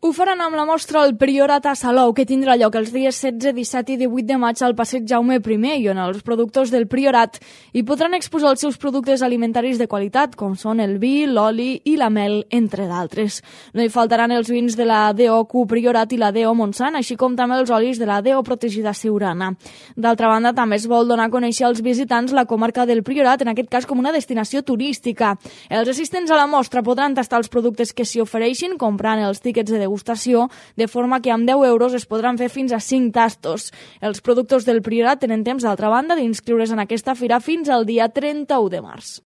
Ho faran amb la mostra El Priorat a Salou, que tindrà lloc els dies 16, 17 i 18 de maig al passeig Jaume I, i on els productors del Priorat hi podran exposar els seus productes alimentaris de qualitat, com són el vi, l'oli i la mel, entre d'altres. No hi faltaran els vins de la DOQ Priorat i la DO Montsant, així com també els olis de la DO Protegida Siurana. D'altra banda, també es vol donar a conèixer als visitants la comarca del Priorat, en aquest cas com una destinació turística. Els assistents a la mostra podran tastar els productes que s'hi ofereixin, comprant els tíquets de degustació, de forma que amb 10 euros es podran fer fins a 5 tastos. Els productors del Priorat tenen temps, d'altra banda, d'inscriure's en aquesta fira fins al dia 31 de març.